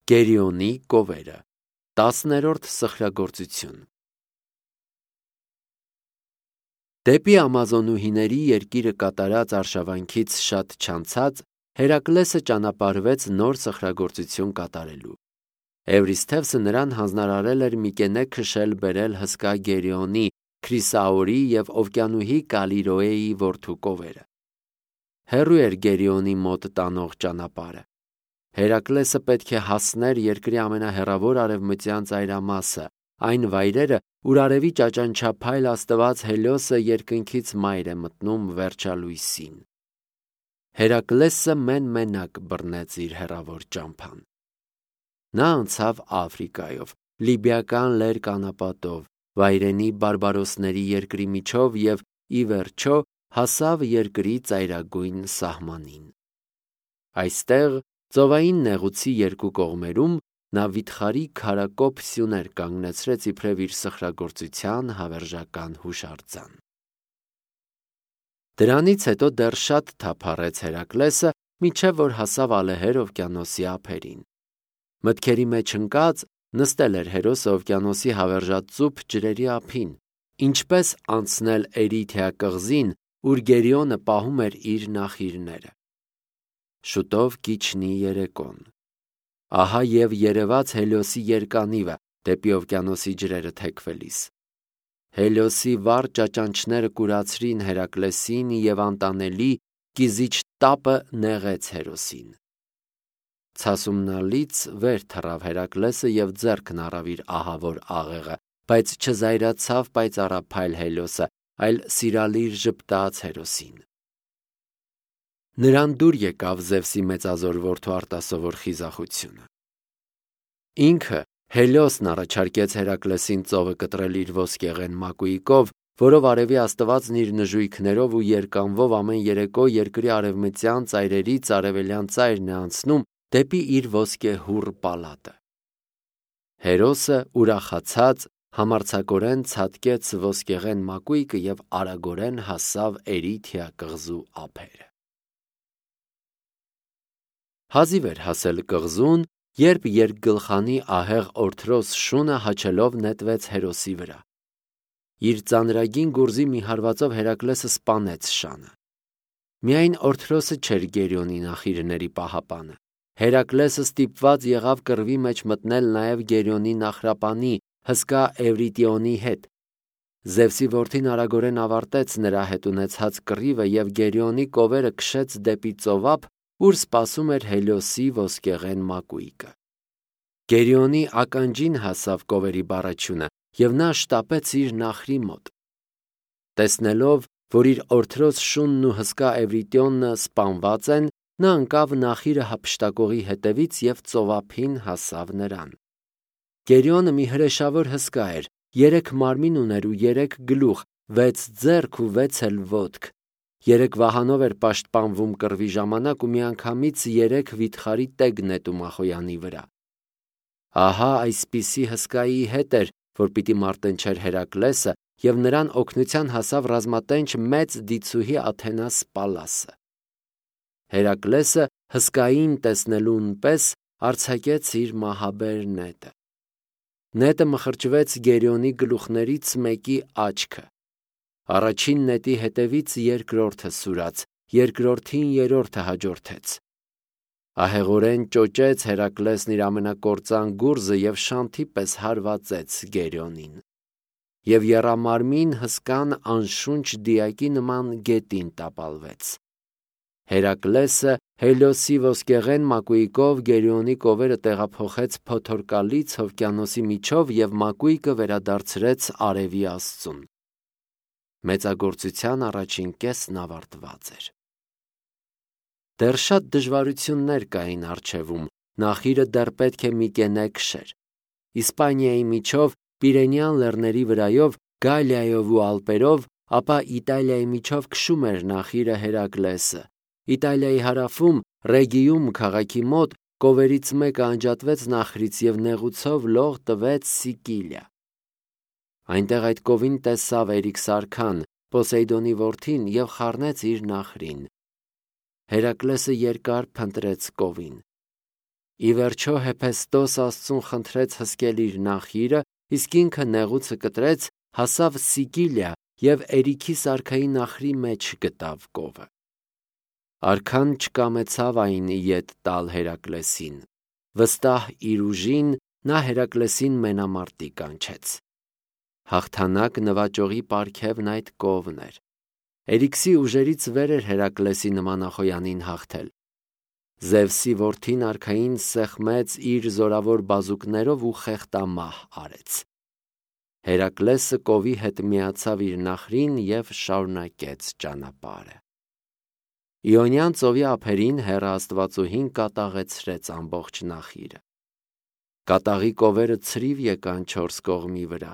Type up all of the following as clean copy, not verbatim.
Գերիոնի կովերը 10-րդ սխրագործություն։ Դեպի ամազոնուհիների երկիրը կատարած արշավանքից շատ չանցած Հերակլեսը ճանապարհվեց նոր սխրագործություն կատարելու։ Էվրիսթևսը նրան հանձնարարել էր Միկենե քշել բերել հսկա Գերիոնի, Քրիսաորի և Օվկիանուհի Կալիրոեի որդու կովերը։ Հեռու էր Գերիոնի մոտ տանող ճանապարհը։ Հերակլեսը պետք է հասներ երկրի ամենահեռավոր արևմտյան ծայրամասը, այն վայրերը, ուր արևի ճաճանչափայլ աստված Հելիոսը երկնքից մայր է մտնում վերջալույսին։ Հերակլեսը մեն-մենակ բռնեց իր հեռավոր ճամփան։ Նա անցավ Աֆրիկայով, լիբիական լերկ անապատով, վայրենի բարբարոսների երկրի միջով և ի վերջո հասավ երկրի ծայրագույն սահմանին։ Այստեղ, ծովային նեղուցի երկու կողմերում, նա վիթխարի քարակոփ սյուներ կանգնեցրեց իբրև իր սխրագործության հավերժական հուշարձան։ Դրանից հետո դեռ շատ թափառեց Հերակլեսը, մինչև որ հասավ ալեհեր օվկիանոսի ափերին։ Մտքերի մեջ ընկած նստել էր հերոսը օվկիանոսի հավերժածուփ ջրերի ափին, ինչպես անցնել Էրիթիա կղզին, ուր Գերիոնը պահում էր իր նախիրները։ Շուտով կիջնի երեկոն։ Ահա և երևաց Հելիոսի երկանիվը դեպի օվկիանոսի ջրերը թեքվելիս։ Հելիոսի վառ ճաճանչները կուրացրին Հերակլեսին և անտանելի կիզիչ տապը նեղեց հերոսին։ Ցասումնալից վեր թռավ Հերակլեսը և ձեռքն առավ իր ահավոր աղեղը, բայց չզայրացավ պայծառափայլ Հելիոսը, այլ սիրալիր ժպտաց հերոսին։ Նրան դուր եկավ Զևսի մեծազոր որդու արտասովոր խիզախությունը։ Ինքը Հելիոսն առաջարկեց Հերակլեսին ծովը կտրել իր ոսկեղեն մակույկով, որով արևի աստվածն իր նժույգներով ու երկանվով ամեն երեկո երկրի արևմտյան ծայրերից արևելյան ծայրն է անցնում դեպի իր ոսկեհուռ պալատը։ Հերոսը ուրախացած համարձակորեն ցատկեց ոսկեղեն մակույկը և արագորեն հասավ Էրիթիա կղզու ափերը։ Հազիվ էր հասել կղզուն, երբ երկգլխանի ահեղ օրթրոս շունը հաչելով նետվեց հերոսի վրա։ Իր ծանրագին գուրզի մի հարվածով Հերակլեսը սպանեց շանը։ Միայն օրթրոսը չէր Գերիոնի նախիրների պահապանը։ Հերակլեսը ստիպված եղավ կռվի մեջ մտնել նաև Գերիոնի նախրապանի հսկա Էվրիտիոնի հետ։ Զևսի որդին արագորեն ավարտեց նրա հետ ունեցած կռիվը և Գերիոնի կովերը քշեց դեպի ծովափ, ուր սպասում էր Հելիոսի ոսկեղեն մակույկը։ Գերիոնի ականջին հասավ կովերի բառաչյունը, և նա շտապեց իր նախրի մոտ։ Տեսնելով, որ իր օրթրոս շունն ու հսկա Էվրիտիոնը սպանված են, նա ընկավ նախիրը հափշտակողի հետևից և ծովափին հասավ նրան։ Գերիոնը մի հրեշավոր հսկա էր, 3 մարմին ուներ ու 3 գլուխ, 6 ձեռք ու 6 էլ ոտք։ 3 վահանով էր պաշտպանվում կռվի ժամանակ ու միանգամից 3 վիթխարի տեգ նետում Ախոյանի վրա։ Ահա այսպիսի հսկայի հետ էր, որ պիտի մարտնչեր Հերակլեսը, և նրան օգնության հասավ ռազմատենչ մեծ դիցուհի Աթենաս Պալասը։ Հերակլեսը հսկային տեսնելուն պես արձակեց իր մահաբեր նետը։ Նետը մխրճվեց Գերիոնի գլուխներից մեկի աչքը։ Առաջին նետի հետևից երկրորդը սուրաց, երկրորդին երրորդը հաջորդեց։ Ահեղորեն ճոճեց Հերակլեսն իր ամենակործան գուրզը և շանթի պես հարվածեց Գերիոնին։ Եվ եռամարմին հսկան անշունչ դիակի նման գետին տապալվեց։ Հերակլեսը Հելիոսի ոսկեղեն մակույկով Գերիոնի կովերը տեղափոխեց փոթորկալից օվկիանոսի միջով և մակույկը վերադարձրեց արևի աստծուն։ Մեծագործության առաջին կեսն ավարտված էր։ Դեռ շատ դժվարություններ կային առջևում, նախիրը դեռ պետք է Միկենե քշեր։ Իսպանիայի միջով, Պիրենեան լեռների վրայով, Գալիայով ու Ալպերով, ապա Իտալիայի միջով քշում էր նախիրը Հերակլեսը։ Իտալիայի հարավում, Ռեգիում քաղաքի մոտ, կովերից մեկը անջատվեց նախրից և նեղուցով լող տվեց Սիկիլիա։ Այնտեղ այդ կովին տեսավ Էրիքսարքան, Պոսեյդոնի որդին, և խառնեց իր նախրին։ Հերակլեսը երկար փնտրեց կովին։ Ի վերջո Հեփեստոս Աստծուն խնդրեց հսկել իր նախիրը, իսկ ինքը նեղուցը կտրեց, հասավ Սիկիլիա և Էրիքի սարքայի նախրի մեջ գտավ կովը։ Արքան չկամեցավ այն ետ տալ Հերակլեսին։ Վստահ իր ուժին նա Հերակլեսին մենամարտի կանչեց։ Հաղթանակ նվաճողի պարգևն այդ կովն էր։ Էրիքսի ուժերից վեր էր Հերակլեսի նմանախոյանին հաղթել։ Զևսի որդին արքային սեղմեց իր զորավոր բազուկներով ու խեղդամահ արեց։ Հերակլեսը կովի հետ միացավ իր նախրին և շարունակեց ճանապարհը։ Իոնյան ծովի ափերին Հեռը Աստվածուհին կատաղեցրեց ամբողջ նախիրը։ Կատաղի կովերը ցրիվ եկան չորս կողմի վրա։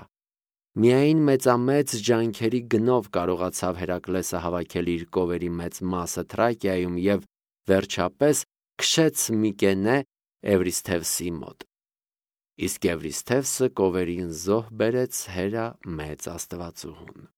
Միայն մեծամեծ ջանքերի գնով կարողացավ Հերակլեսը հավաքել իր կովերի մեծ մասը Թրակիայում և վերջապես քշեց Միկենե Էվրիսթևսի մոտ։ Իսկ Էվրիսթևսը կովերին զոհ բերեց Հերա մեծ Աստվածուհուն։